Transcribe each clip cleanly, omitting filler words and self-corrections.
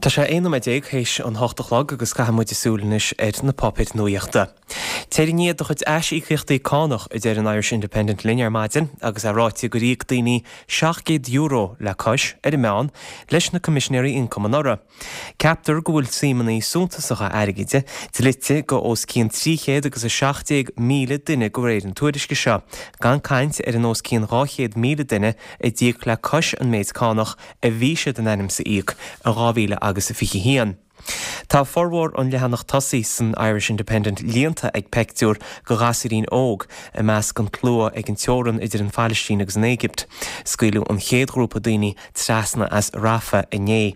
Tá sé 11 nóiméad théis an hocht a chlog agus caithfidh muid súil anois ar na páipéir nuaíochta. Téir i ndiaidh do chuid aisíocaíochtaí cánach, a deir an Irish Independent linn ar maidin agus é ráite gur íoc daoine €700 le cois, ar an meán, leis na Coimisinéirí Ioncaim anuraidh. Ceaptar go bhfuil suímeanna suntasacha airgid dlite go os cionn 317,000 duine de réir an tuairisce seo, gan caint ar an os cionn 200,000 duine a d'íoc le cois an méid cánach a bhí siad in ainm 's a íoc i 2021. Tá formhór an leathanach tosaigh san Irish Independent líonta ag peictiúr go ghasúirín óg i measc an tslua ag an teorann idir an Phailistín agus an Éigipt. Scaoileadh an chéad ghrúpa daoine trasna as Rafah inné.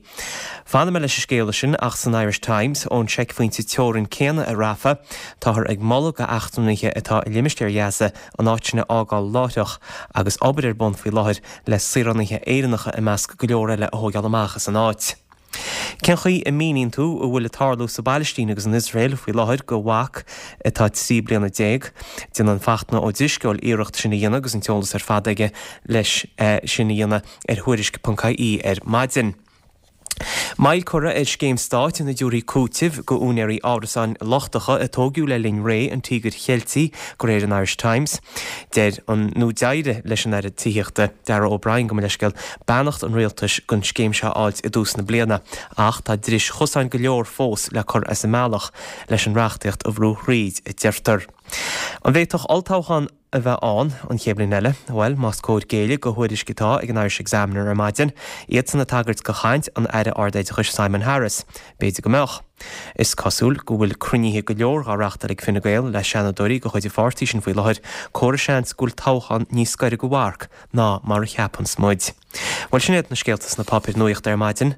Fanfaidh mé leis an scéala sin ach san Irish Times, ón seicphointe teorann céanna i Rafah, táthar ag moladh go eachtrannaithe atá i limistéar Ghaza an áit sin a fhágáil láithreach agus obair ar bun faoi láthair le saoránaithe Éireannacha i measc go leor eile a thóigeáil amach as an áit. Cén chaoi a míníonn tú a bhfuil ag tarlú sa bPailistín agus in Iosrael faoi láthair go mhac atá 13 bliana? Déanann Fachtna Ó Drisceoil iarracht sin a dhéanamh agus an t-eolas ar fad aige leis sin a dhéanamh ar Thuairisc.ie ar maidin. Moill curtha ar scéim stáit ina dtabharfaí cúiteamh go úinéirí árasáin lochtacha a tóigeadh le linn ré an Tíogair Cheiltigh, de réir an Irish Times. Deir an, nó d'éirigh leis an Aire Tithíochta, Darragh O'Brien, gabh mo leithscéal, beannacht an rialtais don scéim seo a fháilt i dtús na bliana, ach tá dris chosáin go leor fós le cur as an mbealach leis an reachtaíocht a bhrú thríd, a deirtear. An bhféadfadh olltoghchán a bheith ann an chéad bhliain eile? Bhuel, más cóir géilleadh go thuairisc atá ag an Irish Examiner ar maidin, iadsan ag tagairt go chaint an Aire Ard-Oideachais Simon Harris, b'fhéidir go mbeadh. Is cosúil go bhfuil cruinnithe go leor dhá reachtáil ag Fine Gael le seanadóirí de chuid an pháirtí sin faoi láthair, comhartha seans go bhfuil toghchán níos gaire go mharc ná mar a cheapanns muid. Bhuel, sin iad na scéalta sna páipéir nuaíochta ar maidin.